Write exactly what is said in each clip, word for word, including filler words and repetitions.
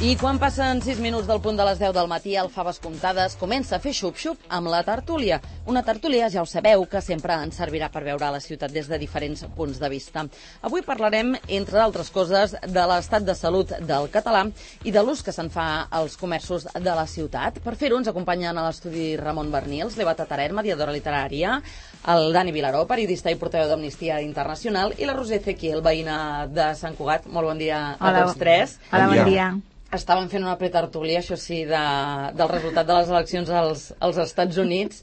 I quan passen sis minuts del punt de les deu del matí, el Faves Comptades comença a fer xup-xup amb la tertúlia. Una tertúlia, ja ho sabeu, que sempre ens servirà per veure la ciutat des de diferents punts de vista. Avui parlarem, entre altres coses, de l'estat de salut del català i de l'ús que se'n fa als comerços de la ciutat. Per fer-ho ens acompanyen a l'estudi Ramon Bernils, l'Eva Tataret, mediadora literària, el Dani Vilaró, periodista i portaveu d'Amnistia Internacional, i la Roser Ezequiel, veïna de Sant Cugat. Molt bon dia a Hola, tots tres. Hola, bon dia. Estàvem fent una pretertúlia, això sí, de, del resultat de les eleccions als, als Estats Units,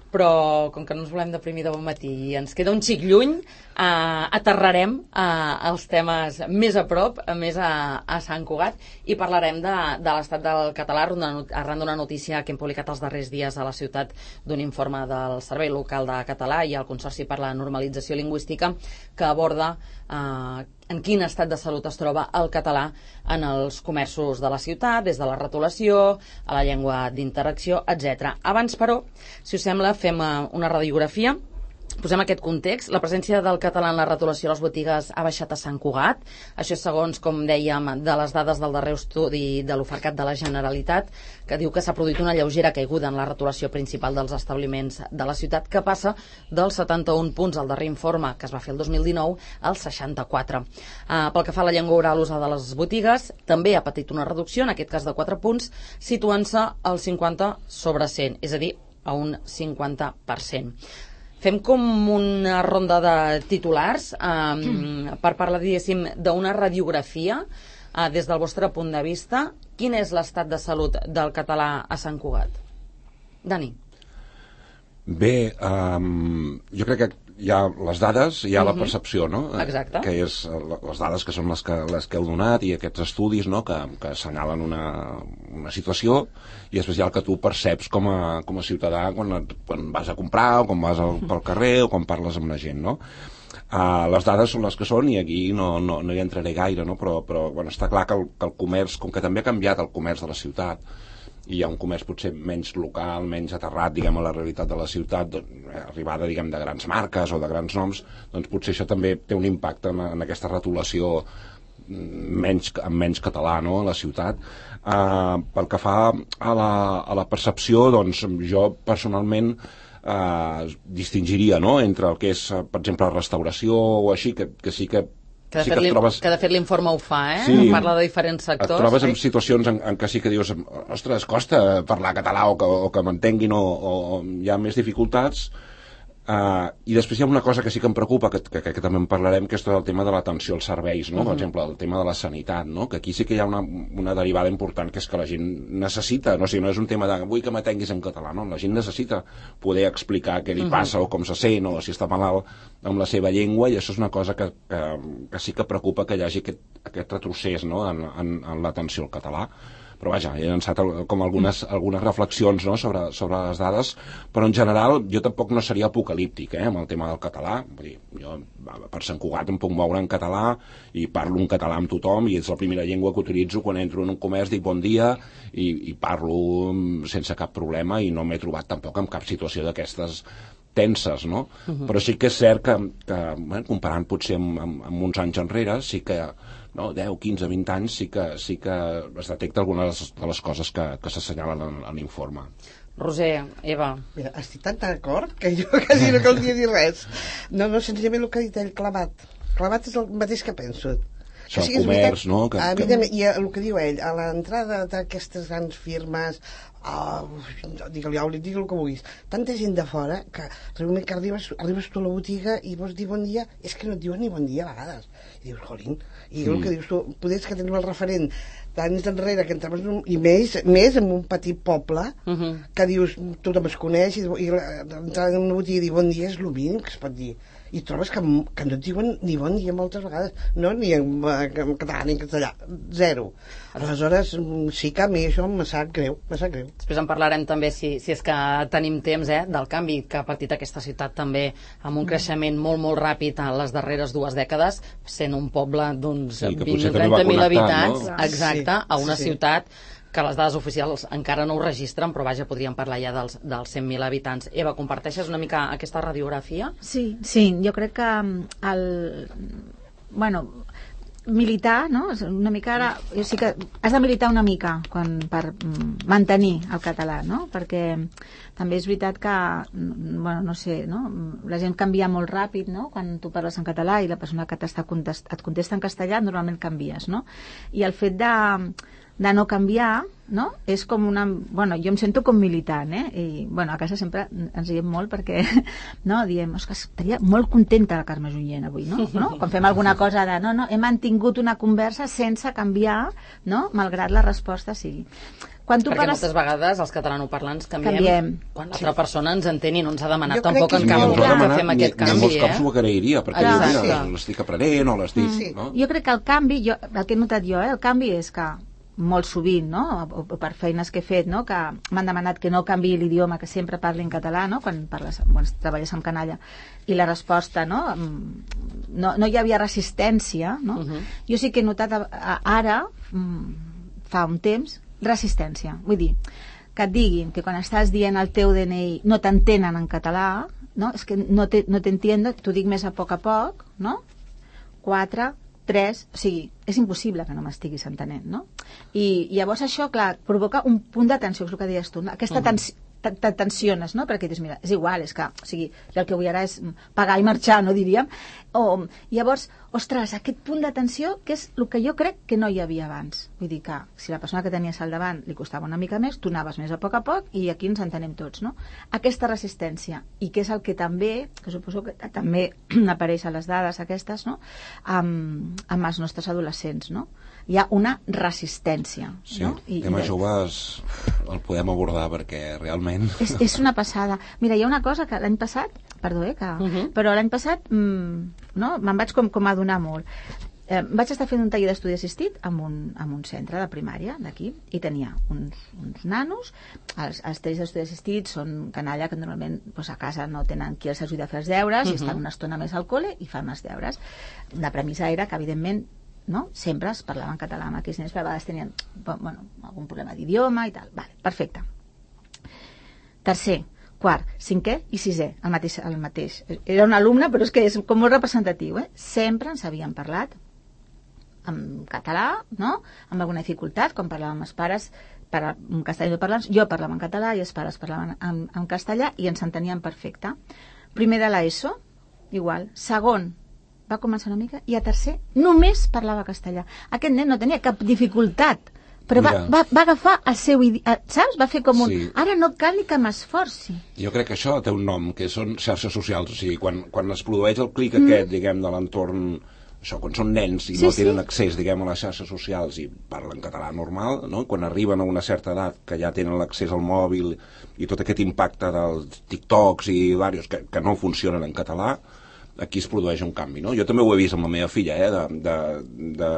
però com que no ens volem deprimir de bon matí i ens queda un xic lluny, eh, aterrarem eh, els temes més a prop, més a, a Sant Cugat, i parlarem de, de l'estat del català arran d'una notícia que hem publicat els darrers dies a la ciutat d'un informe del Servei Local de Català i el Consorci per la Normalització Lingüística que aborda eh, en quin estat de salut es troba el català en els comerços de la ciutat, des de la retolació, a la llengua d'interacció, etcètera. Abans, però, si us sembla, fem una radiografia. Posem aquest context. La presència del català en la retolació a les botigues ha baixat a Sant Cugat. Això és segons, com dèiem, de les dades del darrer estudi de l'Ofercat de la Generalitat, que diu que s'ha produït una lleugera caiguda en la retolació principal dels establiments de la ciutat, que passa dels setanta-un punts al darrer informe, que es va fer el dos mil dinou, als seixanta-quatre. Uh, pel que fa a la llengua oral usada a les botigues, també ha patit una reducció, en aquest cas de quatre punts, situant-se al cinquanta sobre cent, és a dir, a un cinquanta per cent. Fem com una ronda de titulars um, per parlar, diguéssim, d'una radiografia uh, des del vostre punt de vista. Quin és l'estat de salut del català a Sant Cugat? Dani. Bé, um, jo crec que hi ha les dades, hi ha uh-huh. la percepció, no? Exacte. Que és les dades que són les que, les que heu donat i aquests estudis, no? que, que assenyalen una, una situació, i després hi ha el que tu perceps com a, com a ciutadà quan, quan vas a comprar o quan vas al, pel carrer o quan parles amb la gent, no? Uh, les dades són les que són i aquí no, no, no hi entraré gaire, no? però, però bueno, està clar que el, que el comerç, com que també ha canviat el comerç de la ciutat, i hi ha un comerç potser menys local, menys aterrat, diguem, a la realitat de la ciutat, doncs, arribada, diguem, de grans marques o de grans noms, doncs potser això també té un impacte en, en aquesta retolació menys, amb menys català, no?, a la ciutat. Uh, pel que fa a la, a la percepció, doncs jo personalment uh, distingiria, no?, entre el que és, per exemple, la restauració o així, que, que sí que Que de, sí fet, que, trobes... que de fet l'informe ho fa, eh? Sí, parla de diferents sectors. Et trobes en eh? situacions en, en què sí que dius, ostres, costa parlar català o que, o que m'entenguin o, o hi ha més dificultats. Uh, I després hi ha una cosa que sí que em preocupa, que, que, que també en parlarem, que és tot el tema de l'atenció als serveis, no? Uh-huh. Per exemple, el tema de la sanitat, no? Que aquí sí que hi ha una, una derivada important, que és que la gent necessita, no, o sigui, no és un tema de vull que m'atenguis en català, no? La gent necessita poder explicar què li passa uh-huh. o com se sent o si està malalt amb la seva llengua, i això és una cosa que, que, que sí que preocupa, que hi hagi aquest, aquest retrocés, no?, en, en, en l'atenció al català. Però vaja, he llançat com algunes, algunes reflexions, no?, sobre, sobre les dades, però en general jo tampoc no seria apocalíptic, eh, amb el tema del català. Vull dir, jo per Sant Cugat em puc moure en català i parlo en català amb tothom, i és la primera llengua que utilitzo quan entro en un comerç, dic bon dia i, i parlo sense cap problema, i no m'he trobat tampoc en cap situació d'aquestes tenses, no? Uh-huh. Però sí que és cert que, que bueno, comparant potser amb, amb, amb uns anys enrere, sí que no, deu, quinze, vint anys, sí que, sí que es detecta algunes de les coses que, que s'assenyalen en, en l'informe. Roser, Eva. Mira, estic tan d'acord que jo quasi no caldria dir res. No, no, senzillament el que ha dit ell, clavat. Clavat és el mateix que penso. Això, el comerç, no? Que, a que... I el que diu ell, a l'entrada d'aquestes grans firmes, oh, digue-li Auli, digue-li el que vulguis, tanta gent de fora que realment que arribes, arribes tu a la botiga i vols dir bon dia, és que no et diuen ni bon dia a vegades, i dius, jolín, i mm. el que dius tu, potser que tenim el referent d'anys enrere, que entraves un, i més, més en un petit poble, uh -huh. que dius, tothom es coneix, i, i l'entrada en una botiga i dir bon dia és el mínim que es pot dir, i trobes que, que no et diuen ni bon dia moltes vegades, no, ni en, en català ni en castellà, zero. Aleshores sí que a mi això me sap greu, me sap greu. Després en parlarem també, si, si és que tenim temps, eh, del canvi que ha patit aquesta ciutat també, amb un creixement molt molt ràpid en les darreres dues dècades, sent un poble d'uns sí, vint o trenta mil habitants, no? Exacte, sí, a una sí, ciutat que les dades oficials encara no ho registren, però vaja, podríem parlar ja dels, dels cent mil habitants. Eva, comparteixes una mica aquesta radiografia? Sí, sí, jo crec que el... Bueno, militar, no? Una mica ara, jo sí que has de militar una mica quan, per mm, mantenir el català, no? Perquè també és veritat que, bueno, no sé, no? La gent canvia molt ràpid, no? Quan tu parles en català i la persona que t'està contest, et contesta en castellà, normalment canvies, no? I el fet de de no canviar, no? És com una... Bueno, jo em sento com militant, eh? I, bueno, a casa sempre ens diem molt perquè, no? Diem, és que estaria molt contenta la Carme Junyent avui, no? no? Quan fem alguna cosa de, no, no, hem mantingut una conversa sense canviar, no? Malgrat la resposta sigui. Quan tu perquè pares... moltes vegades els catalanoparlants canviem, canviem. Quan l'altra persona ens entén i no ens ha demanat Jo tampoc crec en que cap Ni ens ho ha moment que demanat, fem ni, aquest ni en canvi, molts cops eh? ho agrairia, perquè diu, Exacte. mira, l'estic aprenent o l'estic... Sí. No? Jo crec que el canvi, jo, el que he notat jo, eh, el canvi és que molt sovint, no? o, o per feines que he fet, no? Que m'han demanat que no canviï l'idioma, que sempre parli en català, no? Quan parles, quan treballes amb canalla, i la resposta, no? No, no hi havia resistència, no? Uh-huh. Jo sí que he notat a, a, ara, fa un temps, resistència. Vull dir, que et diguin que quan estàs dient el teu D N I no t'entenen en català, no? És que no te, no t'entiendo, t'ho dic més a poc a poc, no? Quatre, tres, o sigui, és impossible que no m'estiguis entenent, no? I, i llavors això, clar, provoca un punt de tensió, és el que deies tu, no? Aquesta tensió, te tensiones, no? Perquè dius, mira, és igual, és que, o sigui, jo el que vull ara és pagar i marxar, no diríem? O, llavors, ostres, aquest punt de tensió, que és el que jo crec que no hi havia abans. Vull dir que, si la persona que tenies al davant li costava una mica més, tu anaves més a poc a poc i aquí ens entenem tots, no? Aquesta resistència, i que és el que també, que suposo que també apareix a les dades aquestes, no? Amb, amb els nostres adolescents, no? Hi ha una resistència. Sí, no? I, tema i joves el podem abordar perquè realment... És, és una passada. Mira, hi ha una cosa que l'any passat, perdó, eh, que, uh -huh. però l'any passat mmm, no, me'n vaig com, com adonar molt. Eh, vaig estar fent un taller d'estudi assistit en un, en un centre de primària d'aquí i tenia uns, uns nanos. Els, els tallers d'estudi assistits són canalla que normalment doncs, a casa no tenen qui els ajuda a fer els deures uh -huh. i estan una estona més al col·le i fan els deures. La premissa era que, evidentment, no? Sempre es parlava en català amb aquells nens, però a vegades tenien bueno, algun problema d'idioma i tal. Vale, perfecte. Tercer, quart, cinquè i sisè, el mateix, el mateix. Era un alumne, però és que és com molt representatiu, eh? Sempre ens havien parlat en català, no? Amb alguna dificultat, quan parlàvem amb els pares, per un castellà parlants, jo parlava en català i els pares parlaven en, en castellà i ens entenien perfecte. Primer de l'ESO, igual. Segon, va començar una mica, i a tercer només parlava castellà. Aquest nen no tenia cap dificultat, però va, va, va agafar el seu idioma, saps? Va fer com un... Sí. Ara no cal ni que m'esforci. Jo crec que això té un nom, que són xarxes socials, o sigui, quan, quan es produeix el clic mm. aquest, diguem, de l'entorn... Això, quan són nens i sí, no tenen sí. accés, diguem, a les xarxes socials i parlen català normal, no? Quan arriben a una certa edat que ja tenen l'accés al mòbil i tot aquest impacte dels TikToks i diversos que, que no funcionen en català, aquí es produeix un canvi, no? Jo també ho he vist amb la meva filla, eh? De, de, de,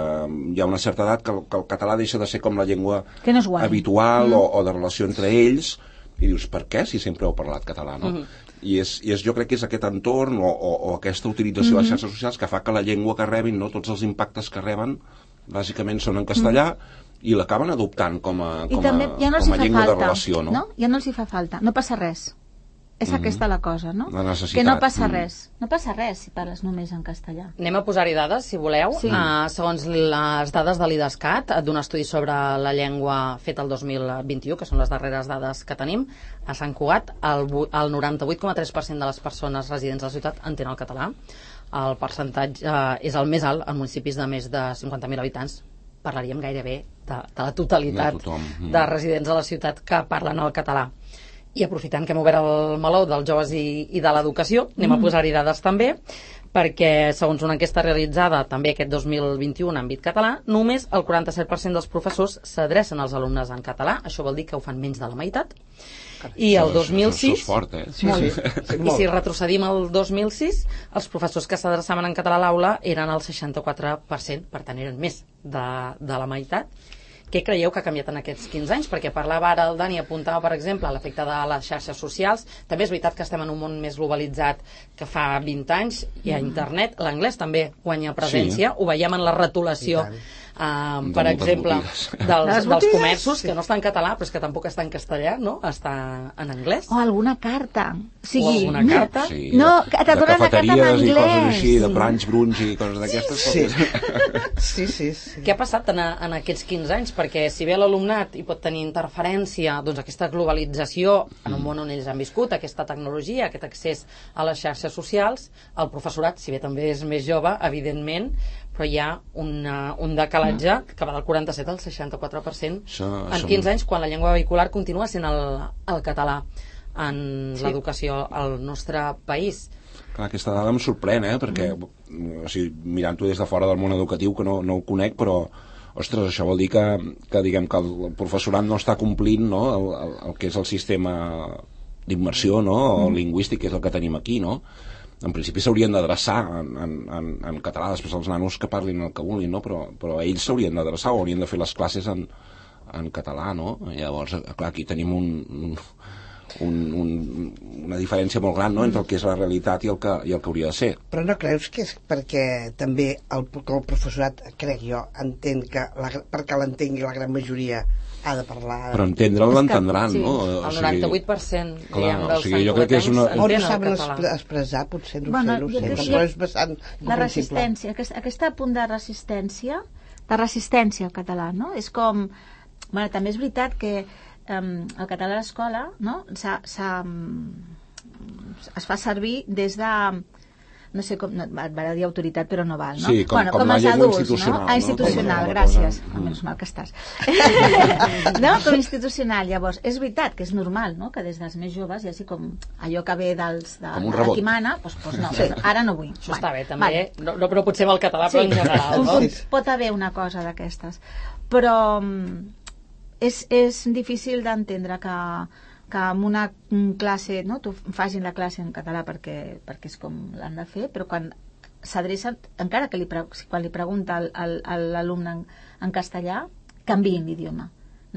hi ha una certa edat que, que el català deixa de ser com la llengua que no és habitual mm. o, o de relació entre ells, i dius, per què si sempre heu parlat català, no? Mm. I, és, i és, jo crec que és aquest entorn o, o, o aquesta utilització mm-hmm. de les xarxes socials que fa que la llengua que rebin, no? Tots els impactes que reben, bàsicament són en castellà, mm. i l'acaben adoptant com a, com a, també, ja no com a llengua falta, de relació, no? no? Ja no els hi fa falta, no passa res. És mm-hmm. aquesta la cosa, no? La necessitat. Que no passa mm. res. No passa res si parles només en castellà. Anem a posar-hi dades, si voleu. Sí. Uh, segons les dades de l'IDESCAT, d'un estudi sobre la llengua fet el dos mil vint-i-u, que són les darreres dades que tenim, a Sant Cugat el, el noranta-vuit coma tres per cent de les persones residents de la ciutat entenen el català. El percentatge uh, és el més alt en municipis de més de cinquanta mil habitants. Parlaríem gairebé de, de la totalitat de, mm. de residents de la ciutat que parlen el català. I aprofitant que hem obert el meló dels joves i, i de l'educació, anem mm. a posar-hi dades també, perquè segons una enquesta realitzada també aquest dos mil vint-i-u en àmbit català, només el quaranta-set per cent dels professors s'adrecen als alumnes en català. Això vol dir que ho fan menys de la meitat. I el dos mil sis... Això és fort, eh? Sí, sí. Sí. I si retrocedim al dos mil sis, els professors que s'adreçaven en català a l'aula eren el seixanta-quatre per cent, per tant eren més de, de la meitat. Què creieu que ha canviat en aquests quinze anys? Perquè parlava ara el Dani, apuntava, per exemple, l'efecte de les xarxes socials. També és veritat que estem en un món més globalitzat que fa vint anys, i a internet l'anglès també guanya presència. Sí. Ho veiem en la retolació Uh, De per moltes exemple, botigues. dels, Les dels botigues? comerços, que no està en català, però és que tampoc està en castellà, no? Està en anglès. O alguna carta. O sigui, O alguna carta. Sí, No, de, que te de donen la carta en cafeteries i coses anglès. així, de Sí. brunch, brunch i coses d'aquestes. Sí. doncs- Sí, sí, sí. Què ha passat en, en aquests quinze anys? Perquè si bé l'alumnat hi pot tenir interferència, doncs aquesta globalització en un món on ells han viscut, aquesta tecnologia, aquest accés a les xarxes socials, el professorat, si bé també és més jove, evidentment, però hi ha una, un decalatge que va del quaranta-set al seixanta-quatre per cent Això- en això- quinze anys, quan la llengua vehicular continua sent el, el català en Sí. l'educació al nostre país. Clar, aquesta dada em sorprèn, eh? Perquè, o sigui, mirant-ho des de fora del món educatiu, que no, no ho conec, però, ostres, això vol dir que, que diguem que el professorat no està complint, no?, el, el, el que és el sistema d'immersió, no?, o lingüístic, que és el que tenim aquí, no? En principi s'haurien d'adreçar en, en, en, en català, després els nanos que parlin el que vulguin, no? Però, però ells s'haurien d'adreçar o haurien de fer les classes en, en català, no? Llavors, clar, aquí tenim un, un, un, un, una diferència molt gran, no?, entre el que és la realitat i el que, i el que hauria de ser. Però no creus que és perquè també el, que el professorat, crec jo, entén que, la, perquè l'entengui la gran majoria, ha de parlar... Però entendre'l l'entendran, sí, no? El noranta-vuit per cent clar, diguem, o dels sigui, jo crec que és una- O no entenen el saben català. expre- expressar, potser, no Bueno, sé, no jo ho sé, crec però que és bastant la comprensible. resistència, aquest, aquest punt de resistència, de resistència al català, no? És com... Bueno, també és veritat que um, el català a l'escola, no?, s'ha, s'ha, um, es fa servir des de... No sé com... No, et va dir autoritat, però no val, no? Sí, com- bueno, com la els llengua adults, institucional, no? no? Ah, institucional, Com la gràcies. cosa. Mm. Menys mal que estàs. No? Com institucional, llavors. És veritat que és normal, no?, que des dels més joves hi hagi com allò que ve dels... De, Com un de rebot. qui mana, doncs, doncs no, doncs ara no vull. Això està bé, Bueno, també. vale. No, no, però potser amb el català, però en general, Un no? punt, pot haver una cosa d'aquestes. Però mm, és, és difícil d'entendre que, que en una mm, classe, no, tu facin la classe en català perquè, perquè és com l'han de fer, però quan s'adrecen, encara que li, pre- quan li pregunta al- al- a l'alumne en, en castellà, canviïn l'idioma,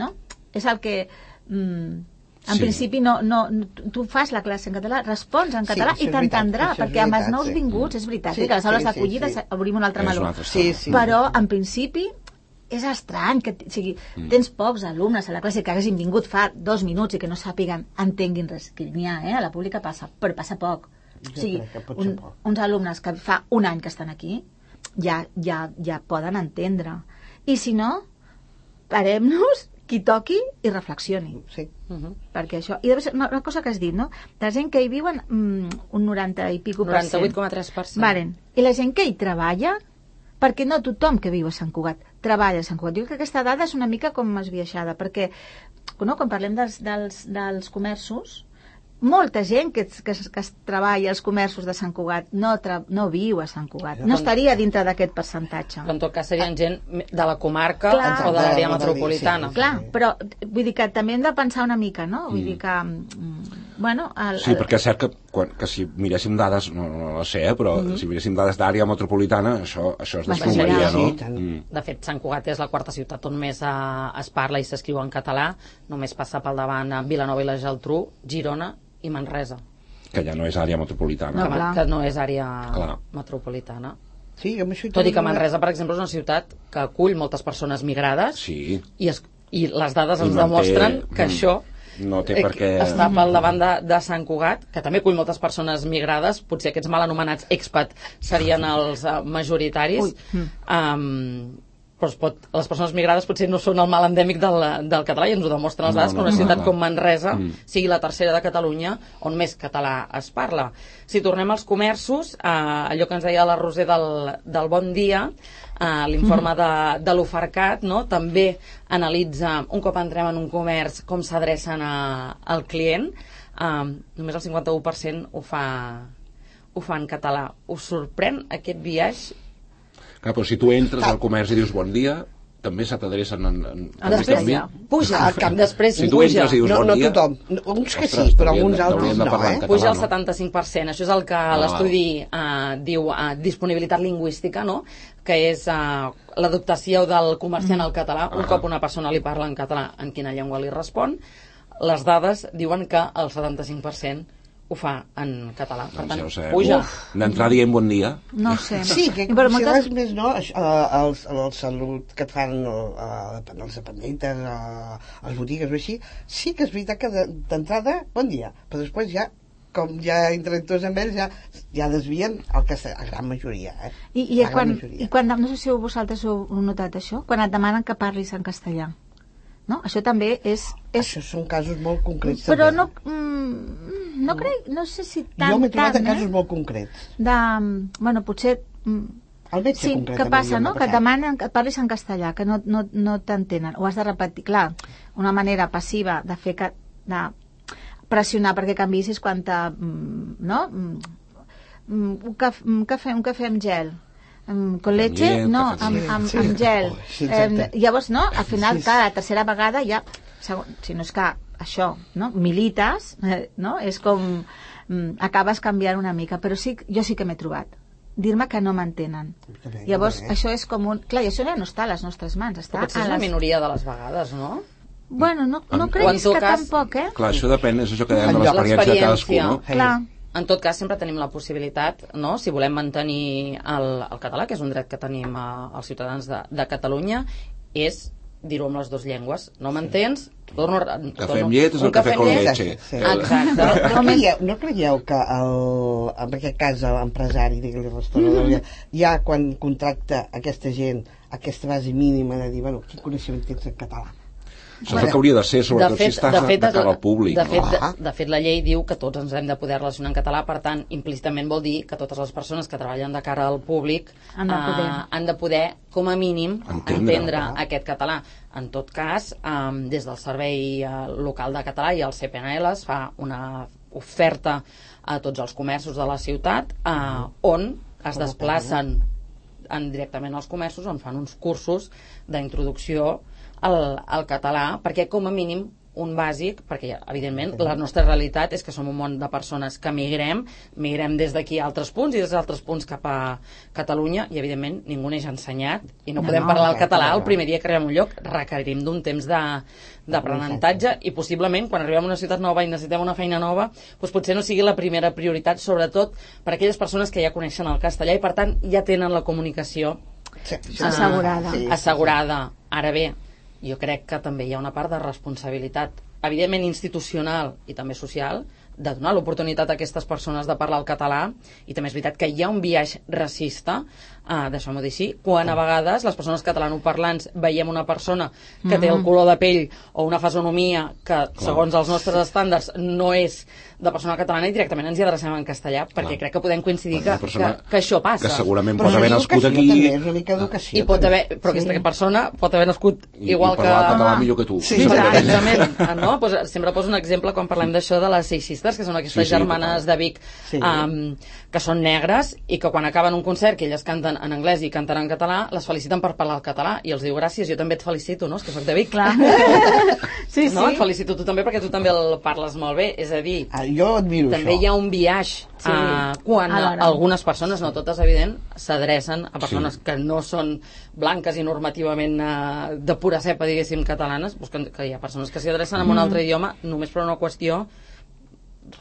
no? És el que... Mm, en Sí. principi no, no, no, tu fas la classe en català, respons en Sí, català això i és veritat, t'entendrà, això és perquè amb els veritat, nous sí. vinguts és veritat, Sí, sí, que les aules sí, sí, d'acollida sí. obrim un altre És meló. una altra Sí, història. sí. Però en principi és estrany que t- o sigui, Mm. tens pocs alumnes a la classe que haguessin vingut fa dos minuts i que no sàpiguen, entenguin res, que n'hi ha, eh? A la pública passa, però passa poc. O Jo sigui, crec que pot ser un, poc. uns alumnes que fa un any que estan aquí ja, ja, ja poden entendre. I si no, parem-nos, qui toqui i reflexioni. Sí. Uh -huh. Perquè això... I després, una, una cosa que has dit, no? De la gent que hi viuen, mm, un noranta i pico per cent. noranta-vuit coma tres per cent. Varen. I la gent que hi treballa, perquè no tothom que viu a Sant Cugat treballa a Sant Cugat. Jo crec que aquesta dada és una mica com esbiaixada, perquè no, quan parlem dels, dels, dels comerços, molta gent que, que, que es treballa als comerços de Sant Cugat no, tra, no viu a Sant Cugat, no estaria dintre d'aquest percentatge. Però en tot cas serien gent de la comarca Clar. o de l'àrea Exacte, metropolitana. sí. Clar, però vull dir que també hem de pensar una mica, no? Vull dir que, mm, bueno... El, Sí, perquè és cert que, quan, que si miréssim dades, no, no ho sé, eh, però Mhm. si miréssim dades d'àrea metropolitana, això, això es Baixaria. desplomaria, no? Sí, tant. Mm. De fet, Sant Cugat és la quarta ciutat on més eh, es parla i s'escriu en català. Només passa pel davant a Vilanova i la Geltrú, Girona i Manresa, Que ja no és àrea metropolitana. No, que, clar. que no és àrea Clar. metropolitana. Sí, amb això hi Tot i que tenim una- Manresa, per exemple, és una ciutat que acull moltes persones migrades Sí. i, es, i les dades I ens manté- demostren que mm, això no té eh, per què- està pel davant de, de Sant Cugat, que també acull moltes persones migrades, potser aquests mal anomenats expat serien els uh, majoritaris. Ui. Um, però es pot, les persones migrades potser no són el mal endèmic del, del català i ens ho demostren les No, dades no, que una no, ciutat clar. com Manresa Mm. sigui la tercera de Catalunya on més català es parla. Si tornem als comerços, eh, allò que ens deia la Roser del, del Bon Dia, eh, l'informe de, de l'Ofercat, no? També analitza, un cop entrem en un comerç, com s'adrecen a- al client. Eh, només el cinquanta-u per cent ho fa, ho fa en català. Us sorprèn aquest viatge? Clar, però si tu entres al comerç i dius bon dia, també se t'adrecen en, en, Ah, després canvi. puja, al camp. després Si tu puja. entres i dius No, bon no dia... tothom. Uns que Ostres, sí, però t'haurien alguns de- altres t'haurien de no, parlar eh? en català, Puja al no? setanta-cinc per cent. Això és el que Ah, l'estudi eh, diu eh, disponibilitat lingüística, no? Que és eh, l'adaptació del comerciant al català. Un Ah. cop una persona li parla en català, en quina llengua li respon. Les dades diuen que el setanta-cinc per cent ho fa en català. Per Doncs tant, ja ho sabem. puja. D'entrar dient bon dia. No sé. Sí, que Però si moltes... res més no, això, eh, el, el salut que et fan eh, els dependentes, eh, les botigues o així, sí que és veritat que de- d'entrada, bon dia, però després ja, com ja entren tots amb ells, ja, ja desvien el que la gran majoria. Eh? I, i, La gran quan, majoria. I quan, no sé si vosaltres ho heu notat això, quan et demanen que parlis en castellà. No? Això també és... és... Això són casos molt concrets. Però també. no, mm, no crec, no sé si tant, Jo m'he trobat tant, en casos eh? molt concrets. De, bueno, potser... mm, El metge, sí, concretament. què passa, jo no? m'ha Que et passat. demanen que et parlis en castellà, que no, no, no t'entenen. Ho has de repetir. Clar, una manera passiva de fer... Que, de pressionar perquè canviïs és quan te, mm, no? Mm, un, caf, un, cafè, un cafè amb gel. Mm, con leche? llet, No, cafè amb, amb amb, llet. amb gel. Oh, sí, eh, exacte. llavors, no? Al final, Sí, sí. cada tercera vegada ja... Segon, si no és que això, no? Milites, eh, no? És com... Mm, acabes canviant una mica. Però sí, jo sí que m'he trobat. Dir-me que no m'entenen. També, Llavors, també. això és com un... Clar, i això ja no està a les nostres mans. Està Però potser a és la les... minoria de les vegades, no? Bueno, no, no En- crec o en tot que cas- tampoc, eh? Clar, això depèn, és això que dèiem de En lloc- l'experiència de cadascú, l'experiència. no? Clar. En tot cas, sempre tenim la possibilitat, no? Si volem mantenir el, el català, que és un dret que tenim a, als ciutadans de, de Catalunya, és dir-ho amb les dues llengües. No m'entens? Torno, a- Cafè torno- amb llet és un el cafè con amb llet. leche. Sí. Exacte. No creieu, no creieu que el, en aquest cas l'empresari, digue-li restaurador, ja, ja quan contracta aquesta gent aquesta base mínima de dir, bueno, quin coneixement tens en català? Això és el que hauria de ser, sobretot si estàs de, de cara al públic. De fet, de, Ah. de fet, la llei diu que tots ens hem de poder relacionar en català, per tant, implícitament vol dir que totes les persones que treballen de cara al públic Han de poder. eh, han de poder, com a mínim, Entendre. entendre Ah. aquest català. En tot cas, eh, des del Servei eh, Local de Català i el C P N L es fa una oferta a tots els comerços de la ciutat eh, on es desplacen en, directament als comerços, on fan uns cursos d'introducció al, al català, perquè com a mínim un bàsic, perquè evidentment la nostra realitat és que som un món de persones que migrem, migrem des d'aquí a altres punts i des d'altres punts cap a Catalunya, i evidentment ningú n'és ensenyat i no, No, podem no, parlar el clar, català clar. el primer dia que arribem a un lloc. Requerim d'un temps de, d'aprenentatge i possiblement quan arribem a una ciutat nova i necessitem una feina nova, doncs potser no sigui la primera prioritat, sobretot per a aquelles persones que ja coneixen el castellà i per tant ja tenen la comunicació Sí, Ah, Assegurada. sí, sí, assegurada. Ara bé, jo crec que també hi ha una part de responsabilitat, evidentment institucional i també social, de donar l'oportunitat a aquestes persones de parlar el català, i també és veritat que hi ha un biaix racista, eh, deixem-ho dir així, quan a vegades les persones catalanoparlants veiem una persona que té el color de pell o una fisonomia que, segons els nostres estàndards, no és de persona catalana i directament ens hi adrecem en castellà, perquè Clar. crec que podem coincidir Una que, persona que, que això passa. Que segurament Però pot haver és nascut educació, aquí també, és una mica educació. I pot també. haver, però aquesta persona pot haver nascut i, igual i que... parlar català millor que tu. Sí, Sempre Exacte, depèn. exactament. No? Pues, sempre poso un exemple quan parlem d'això de les Six Sisters, que són aquestes Sí, sí, germanes total. de Vic, Sí. um, que són negres i que quan acaben un concert que elles canten en anglès i canten en català, les feliciten per parlar el català i els diu gràcies, jo també et felicito, no? És que soc de Vic. Clar. Sí, sí. No? Et felicito tu també perquè tu també el parles molt bé. És a dir, Ah, jo admiro també això. hi ha un biaix Sí. uh, quan Alhora. algunes persones, no totes evident, s'adrecen a persones Sí. que no són blanques i normativament uh, de pura cepa, diguéssim, catalanes, doncs que, que hi ha persones que s'hi adrecen en un altre idioma només per una qüestió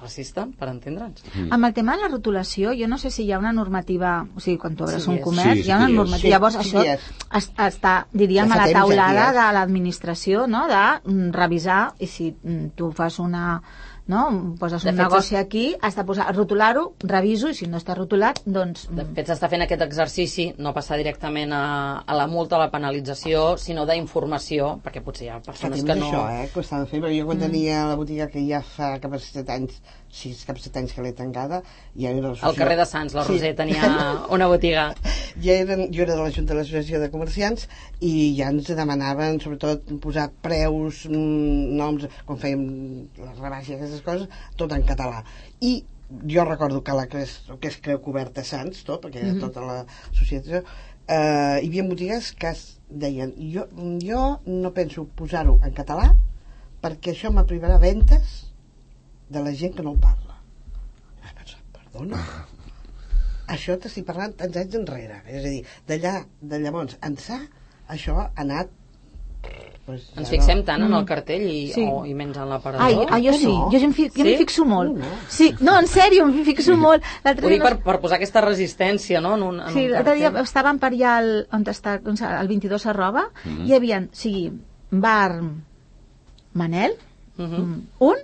racista, per entendre'ns. Amb el tema de la rotulació, jo no sé si hi ha una normativa, o sigui, quan tu obres Sí, un és. comerç, Sí, sí hi ha una que hi és. normativa. Sí, Llavors, sí això que hi és. es, està, diríem, Ja a fa la temps, taulada ja que hi és. de l'administració, no?, de mm, revisar, i si mm, tu fas una... no? Poses De un fet, negoci aquí, has de posar, rotular-ho, reviso, i si no està rotulat, doncs... De mm, fet, s'està fent aquest exercici, no passar directament a, a la multa, a la penalització, sinó d'informació, perquè potser hi ha Fa persones temps que no... això, eh, que ho estava fent, perquè jo quan tenia la botiga que ja fa cap a set anys, sis, cap a set anys que l'he tancada, ja era Al l'associació- carrer de Sants, la Sí. Roser tenia una botiga. Ja eren, jo era de la Junta de l'Associació de Comerciants i ja ens demanaven sobretot posar preus, mm, noms, quan fèiem les rebaixes i aquestes coses, tot en català. I jo recordo que la que és, que és Creu Coberta Sants, tot, perquè era tota l'associació, eh, hi havia botigues que es deien jo, jo no penso posar-ho en català perquè això m'aprivarà ventes de la gent que no el parla. I vaig pensar, perdona? Això t'estic parlant tants anys enrere. És a dir, d'allà, de llavors ençà, això ha anat pues, Ens ja fixem no. tant en el cartell i, Sí. oh, i menys en Ai, l'aparador. ai, jo sí, no? jo, em fi, jo Sí? m'hi fixo molt. No, no. Sí, no, en sèrio, m'hi fixo molt. L'altre Ho dic dia per, per posar aquesta resistència, no?, en un, en Sí, un l'altre dia cartell. estàvem per allà al, on està, doncs, al vint-i-dos arroba, Mhm. hi havia, o sigui, bar Manel, Mhm. un,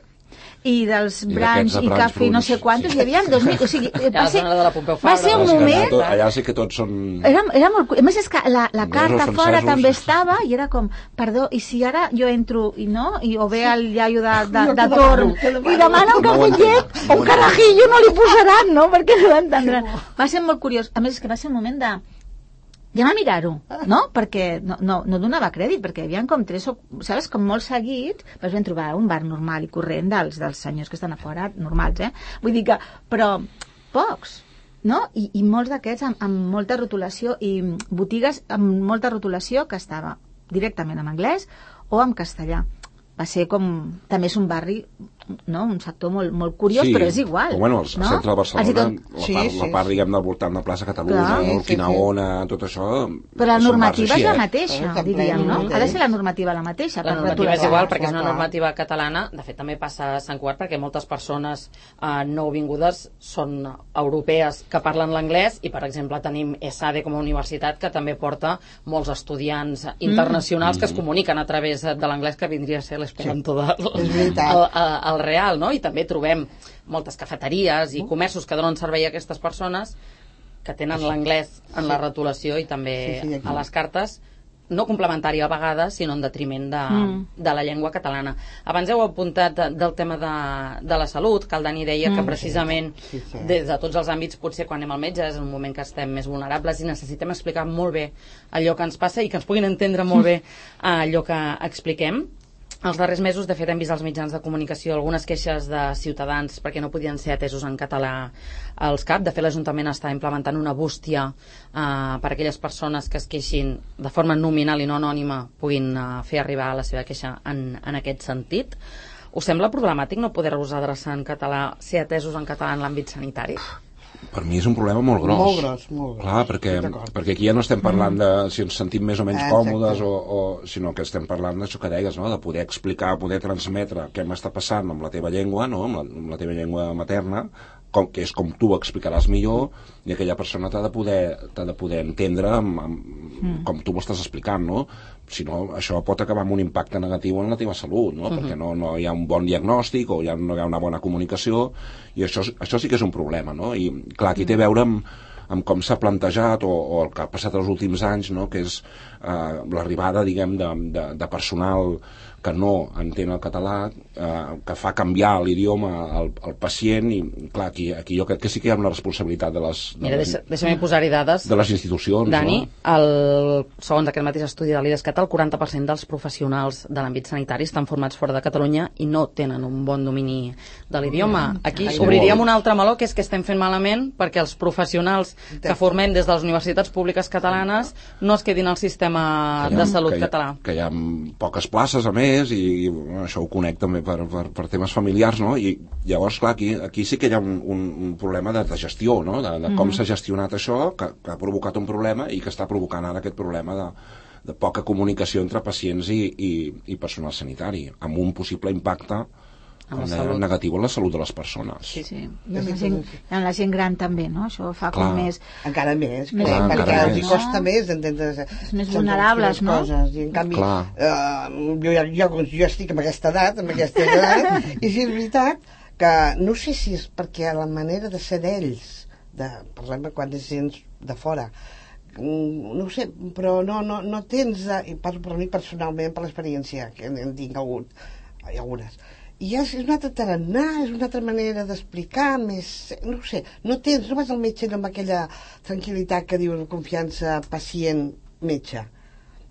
i dels I Branch d'aquests de i Branch Cafè no Bruns, sé quantos, sí. hi havia dos mil, o sigui, Ja va la ser, zona de la Pompeu va Fabra, ser un de la moment... Escalada. Tot, allà sí que tots són... Era, era molt... cu- A més, és que la, la Anglesos, carta francesos. fora també estava i era com, perdó, i si ara jo entro i no, i o ve el iaio de, de, Jo de que torn demano, que demano. i demana un No ho cafetet entenc, no o ho un entenc. carajillo, no li posaran, no? Perquè no l'entendran. Va ser molt curiós. A més, és que va ser un moment de... Ja a mirar-ho, no? Perquè no, no, no donava crèdit, perquè hi havia com tres o... Saps? Com molt seguit, vas ben trobar un bar normal i corrent dels, dels senyors que estan a fora, normals, eh? Vull dir que... Però pocs, no? I, i molts d'aquests amb, amb molta rotulació i botigues amb molta rotulació que estava directament en anglès o en castellà. Va ser com... També és un barri, no? Un sector molt, molt curiós, Sí, però és igual. però bueno, al no? centre de Barcelona, Els hi tot- la Sí, part, sí, la part sí. diguem, del voltant de plaça Catalunya, Clar. el Sí, sí, Quinaona, tot això... Però la són normativa bars és així, la eh? mateixa, Està diríem, ple, no? no? Ha de ser la normativa la mateixa. La per normativa és retolar. igual perquè és una clar. normativa catalana. De fet, també passa a Sant Cugat perquè moltes persones eh, nouvingudes són europees que parlen l'anglès i, per exemple, tenim ESADE com a universitat que també porta molts estudiants internacionals Mm. que es comuniquen a través de l'anglès, que vindria a ser l'esperanto del És veritat. el, el, el real, no? I també trobem moltes cafeteries i comerços que donen servei a aquestes persones que tenen l'anglès en la rotulació i també Sí, sí, aquí. a les cartes, no complementària a vegades, sinó en detriment de, Mm. de la llengua catalana. Abans heu apuntat de, del tema de, de la salut, que el Dani deia que precisament Sí, sí. des de tots els àmbits, potser quan anem al metge és un moment que estem més vulnerables i necessitem explicar molt bé allò que ens passa i que ens puguin entendre molt bé allò que expliquem. Els darrers mesos, de fet, hem vist als mitjans de comunicació algunes queixes de ciutadans perquè no podien ser atesos en català als C A P. De fet, l'Ajuntament està implementant una bústia eh, per a aquelles persones que es queixin de forma nominal i no anònima puguin eh, fer arribar la seva queixa en, en aquest sentit. Us sembla problemàtic no poder-vos adreçar en català, ser atesos en català en l'àmbit sanitari? Per mi és un problema molt gros. Molt gros, molt gros. Clar, perquè, Estic d'acord. perquè aquí ja no estem parlant de si ens sentim més o menys Exacte. còmodes, o, o, sinó que estem parlant d'això que deies, no? De poder explicar, poder transmetre què m'està passant amb la teva llengua, no? amb, la, amb la teva llengua materna, com, que és com tu ho explicaràs millor, i aquella persona t'ha de poder, t'ha de poder entendre amb, amb, mm. com tu ho estàs explicant, no? Si no, això pot acabar amb un impacte negatiu en la teva salut, no? Mm-hmm. Perquè no, no hi ha un bon diagnòstic o ja no hi ha una bona comunicació, i això, això sí que és un problema, no? I clar, aquí té a veure amb, amb com s'ha plantejat o, o el que ha passat els últims anys, no? Que és eh, l'arribada, diguem, de, de, de personal que no entén el català, eh, que fa canviar l'idioma al, al pacient, i clar, aquí, aquí jo crec que sí que hi ha una responsabilitat de les, de Mira, les, deixa, deixa'm posar-hi dades. de les institucions, Dani, no? el, segons aquest mateix estudi de l'IDESCAT, el quaranta per cent dels professionals de l'àmbit sanitari estan formats fora de Catalunya i no tenen un bon domini de l'idioma. Aquí Ai, obriríem molt. un altre meló, que és que estem fent malament perquè els professionals que formem des de les universitats públiques catalanes no es quedin al sistema Que hi ha- de salut que hi ha- català. Que hi ha poques places, a més, i, i bueno, això ho conec també per, per, per temes familiars, no? I llavors, clar, aquí, aquí sí que hi ha un, un, un problema de, de gestió, no? De, de com Mhm. s'ha gestionat això, que, que ha provocat un problema i que està provocant ara aquest problema de, de poca comunicació entre pacients i, i, i personal sanitari, amb un possible impacte En la com deia, salut. negatiu a la salut de les persones. Sí, sí. I amb la, gent, i amb la gent gran també, no? Això fa Clar. com més... Encara més, Més clar, perquè encara els hi més. costa més d'entendre més vulnerables, no? coses. I en canvi, Clar. eh, jo, ja, jo, jo estic amb aquesta edat, amb aquesta edat, i si és veritat que no sé si és perquè la manera de ser d'ells, de, parlem quan és gent de fora, mm, no ho sé, però no, no, no tens, eh, i parlo per mi personalment, per l'experiència que en, en tinc hagut, hi ha algunes, i és, és un altre tarannà, és una altra manera d'explicar, més, no ho sé, no tens, no vas al metge amb aquella tranquil·litat que diu confiança pacient-metge.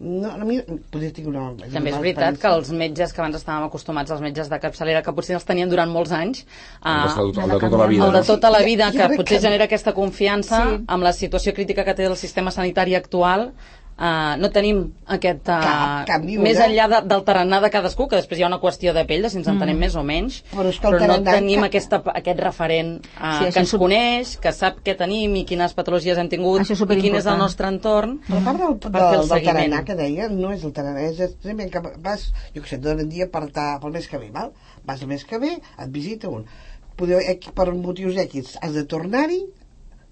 No, a mi, podria dir una... També és veritat que els metges que abans estàvem acostumats, els metges de capçalera, que potser els tenien durant molts anys, El de, eh, el de tota la vida. el de no? tota la vida, Jo que crec potser que- genera aquesta confiança Sí. amb la situació crítica que té el sistema sanitari actual, Uh, no tenim aquest... Uh, Cap, cap ni una. més enllà de, del tarannà de cadascú, que després hi ha una qüestió de pell, de si ens entenem mm. més o menys, però, és que però no tarannà, tenim cap... aquesta, aquest referent uh, sí, que ens sub... coneix, que sap què tenim i quines patologies hem tingut i quin és el nostre entorn. Però a part del, per fer el del, del seguiment. tarannà que deia, no és el tarannà, és extremament que vas, jo què sé, d'un dia per, ta, pel mes que ve, val? Vas el mes que ve, et visita un. Podeu, per motius X has de tornar-hi,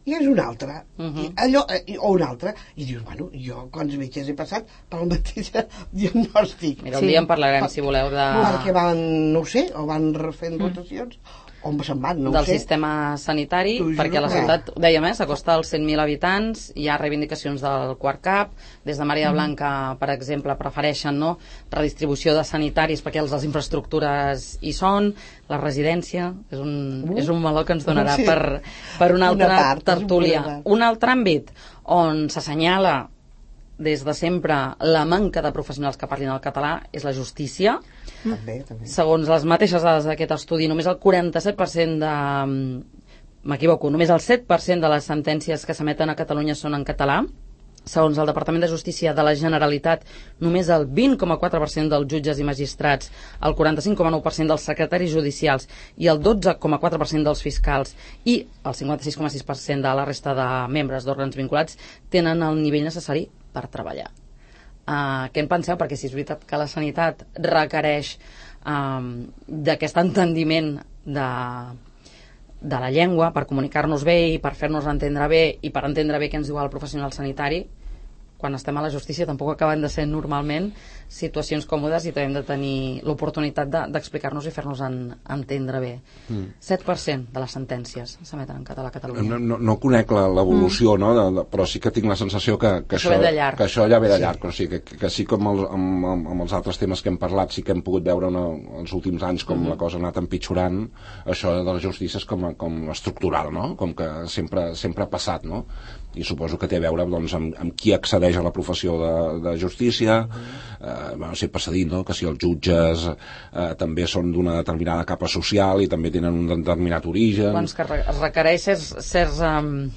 i és un altre, uh -huh. I allò, o un altre, i dius, bueno, jo quants metges he passat pel mateix diagnòstic. Mira, un sí. dia en parlarem, per, si voleu, de... Perquè van, no ho sé, o van refent rotacions, on se'n van, no ho del sé. sistema sanitari, perquè la ciutat, dèiem, eh, s'acosta als cent mil habitants, hi ha reivindicacions del quart cap, des de Maria Blanca, per exemple, prefereixen, no?, redistribució de sanitaris perquè les infraestructures hi són, la residència, és un, uh. és un meló que ens donarà sí. per, per una altra una part, tertúlia. Un, un altre àmbit on s'assenyala des de sempre la manca de professionals que parlin el català és la justícia. També, també. Segons les mateixes dades d'aquest estudi, només el quaranta-set per cent de... m'equivoco, només el set per cent de les sentències que s'emeten a Catalunya són en català. Segons el Departament de Justícia de la Generalitat, només el vint coma quatre per cent dels jutges i magistrats, el quaranta-cinc coma nou per cent dels secretaris judicials i el dotze coma quatre per cent dels fiscals i el cinquanta-sis coma sis per cent de la resta de membres d'òrgans vinculats tenen el nivell necessari per treballar. Uh, què en penseu? Perquè si és veritat que la sanitat requereix um, d'aquest entendiment de, de la llengua per comunicar-nos bé i per fer-nos entendre bé i per entendre bé què ens diu el professional sanitari, quan estem a la justícia tampoc acaben de ser normalment situacions còmodes i també hem de tenir l'oportunitat de, d'explicar-nos i fer-nos en, entendre bé. Mm. set per cent de les sentències s'emeten en català a Catalunya. No, no, no conec la, l'evolució, mm. no? De, de, però sí que tinc la sensació que, que, això, això, que això ja ve de llarg. Sí. O sigui, que, que sí com el, amb, amb, amb els altres temes que hem parlat sí que hem pogut veure una, els últims anys com mm. la cosa ha anat empitjorant, això de la justícia és com, com estructural, no? Com que sempre, sempre ha passat, no? I suposo que té a veure doncs, amb, amb qui accedeix a la professió de, de justícia, mm. eh, bueno, sempre s'ha dit, no?, que si els jutges eh, també són d'una determinada capa social i també tenen un determinat origen. Doncs que es requereix certs, certs, um,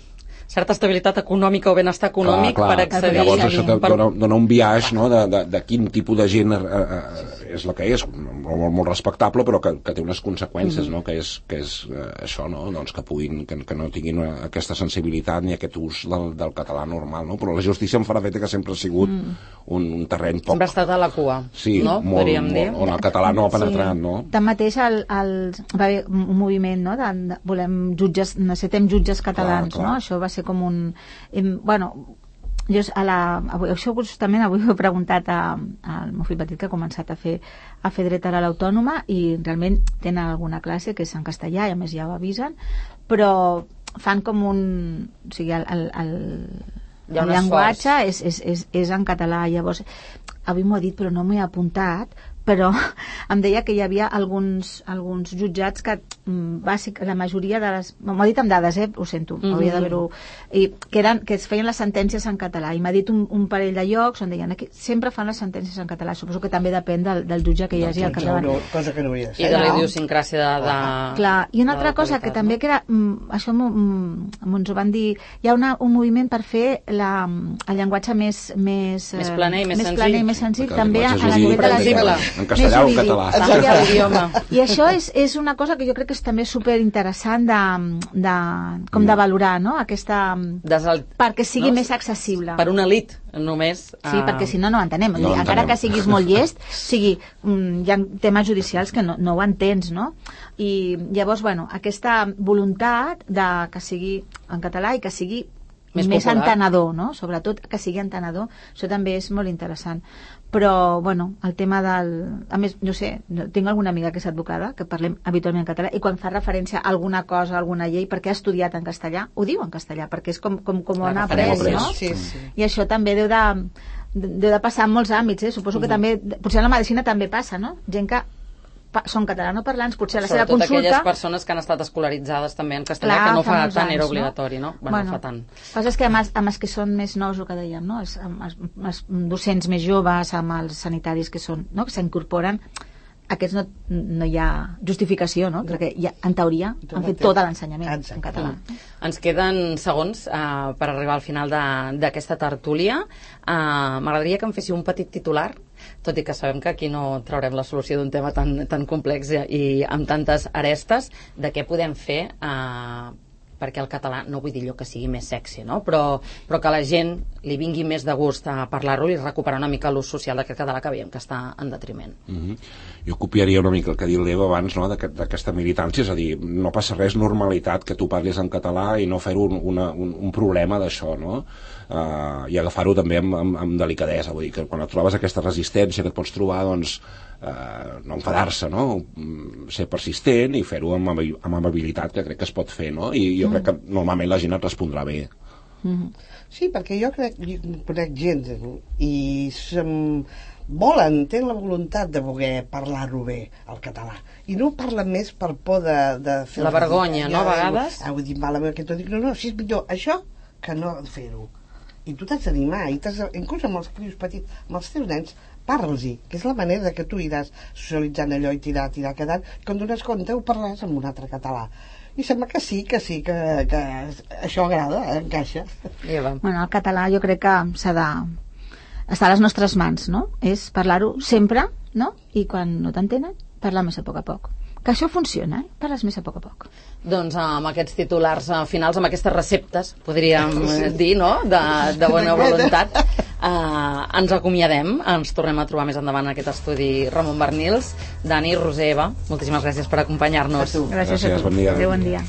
certa estabilitat econòmica o benestar econòmic clar, clar. per accedir. Llavors això per... dona, dona un biaix, no?, de, de, de quin tipus de gent eh, eh, és la que és, molt, molt respectable, però que, que té unes conseqüències, mm-hmm. no?, que és, que és eh, això, no?, doncs que puguin, que, que no tinguin una, aquesta sensibilitat ni aquest ús del, del català normal, no? Però la justícia em farà feta que sempre ha sigut mm. un, un terreny poc... Sempre ha estat a la cua, sí, no? Molt, Podríem dir. Molt, on el català no ha penetrat, sí. no? Tanmateix el, el, va haver un moviment, no?, de, de, volem jutges, necessitem jutges catalans, clar, clar. no? Això va ser com un... Em, bueno, jo a la, avui, això justament avui ho he preguntat al meu fill petit que ha començat a fer, a fer dret a l'Autònoma i realment tenen alguna classe que és en castellà i a més ja ho avisen, però fan com un... O sigui, el, el, el, el llenguatge és, és, és, és en català. Llavors, avui m'ho ha dit però no m'he apuntat, però em deia que hi havia alguns, alguns jutjats que bàsic, la majoria de les... M'ho ha dit amb dades, eh? Ho sento, mm-hmm. hauria d'haver-ho... I que, eren, que es feien les sentències en català. I m'ha dit un, un parell de llocs on deien que sempre fan les sentències en català. Suposo que també depèn del, del jutge que hi hagi al capdavant. No, cosa que no hauria de ser. I de la idiosincràsia de, de... Clar, i una altra cosa que també que era... Això ens ho van dir... Hi ha una, un moviment per fer la, el llenguatge més... Més, més planer i més, més senzill. Planer i més senzill també a, a la nivell de la... En castellà o en català. I això és, és una cosa que jo crec que és també superinteressant de, de, com de valorar, no? Aquesta, Desal... perquè sigui no? més accessible. Per una elit, només. Sí, uh... perquè si no, no ho entenem. No encara entenem. Que siguis molt llest, sigui, hi ha temes judicials que no, no ho entens, no? I llavors, bueno, aquesta voluntat de que sigui en català i que sigui més, més entenedor, no? Sobretot que sigui entenedor, això també és molt interessant. Però, bueno, el tema del... A més, no sé, tinc alguna amiga que és advocada, que parlem habitualment en català, i quan fa referència a alguna cosa, a alguna llei, perquè ha estudiat en castellà, ho diu en castellà, perquè és com, com, com ho han après, no? Sí, sí. I això també deu de, deu de passar en molts àmbits, eh? Suposo que uh-huh. també, potser en la medicina també passa, no? Gent que pa, són catalanoparlants, potser a la seva consulta... Sobretot aquelles persones que han estat escolaritzades també en castellà, clar, que no fa, fa tant anys, era obligatori, no? no? Bueno, bueno, no fa tant. El que passa és que amb els, amb els que són més nous, el que dèiem, no? Els, els, els docents més joves, amb els sanitaris que són, no? Que s'incorporen, aquests no, no hi ha justificació, no? Perquè ja, en teoria han fet tot l'ensenyament en català. Ens queden segons uh, per arribar al final d'aquesta tertúlia. Uh, M'agradaria que em féssiu un petit titular, tot i que sabem que aquí no traurem la solució d'un tema tan, tan complex i, i amb tantes arestes, de què podem fer uh, perquè el català, no vull dir allò que sigui més sexy, no? però, però que a la gent li vingui més de gust a parlar-lo i recuperar una mica l'ús social d'aquest català que veiem que està en detriment. Mm-hmm. Jo copiaria una mica el que ha dit l'Eva abans, no? d'aquesta militància, és a dir, no passa res, normalitat que tu parlis en català i no fer-ho un, una, un, un problema d'això, no? Uh, i agafar-ho també amb, amb, amb delicadesa, vull dir que quan et trobes aquesta resistència que et pots trobar, doncs Uh, no enfadar-se, no? Ser persistent i fer-ho amb, amb amabilitat, que crec que es pot fer, no? I jo mm. crec que normalment la gent et respondrà bé. Mm. Sí, perquè jo crec, jo conec gent i sem, volen, tenen la voluntat de voler parlar-ho bé, el català, i no ho parlen més per por de, de fer la vergonya, no, a vegades? Ah, vull dir, malament que t'ho dic, no, no, si és millor això que no fer-ho. I tu t'has d'animar, i t'has, inclús amb els crios petits, amb els teus nens, parles-hi, que és la manera que tu iràs socialitzant allò i tirar, tirar, quedant, quan dones compte ho parles amb un altre català. I sembla que sí, que sí, que, que això agrada, encaixa. Bueno, el català jo crec que s'ha de estar a les nostres mans, no? És parlar-ho sempre, no? I quan no t'entenen, parlar més a poc a poc. Que això funciona, eh? Parles més a poc a poc. Doncs amb aquests titulars finals, amb aquestes receptes, podríem dir, no?, de, de bona voluntat, eh, ens acomiadem, ens tornem a trobar més endavant en aquest estudi Ramon Barnils. Dani, Roser, Eva, moltíssimes gràcies per acompanyar-nos. Gràcies, gràcies a tu. Bon dia. Adéu, bon dia.